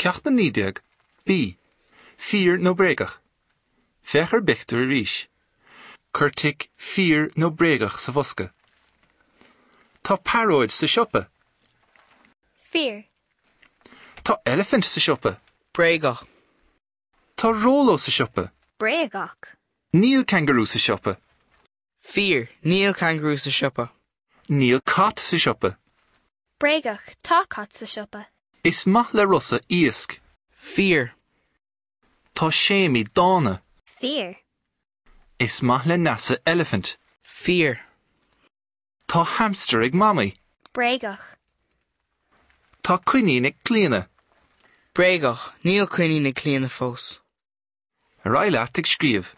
Ceacht 19, B, Fíor nó Bréagach? Féach ar an bpictiúr arís. Cuir tic Fíor nó Bréagach sa bhosca. Tá pearóid sa siopa. Fíor. Tá eilifint sa siopa. Bréagach. Tá róló sa siopa. Bréagach. Níl cangarú sa siopa. Fíor, níl cangarú sa siopa. Níl cat sa siopa. Bréagach, tá cat sa siopa. Is maith le Rosa iasc. Fíor. Tá Séimí dána. Fíor. Is maith le Neasa eilifint. Fíor. Tá hamster ag Mamaí. Bréagach. Tá coinín ag Clíona. Bréagach, níl coinín ag Clíona fós. Ar aghaidh leat ag scríobh.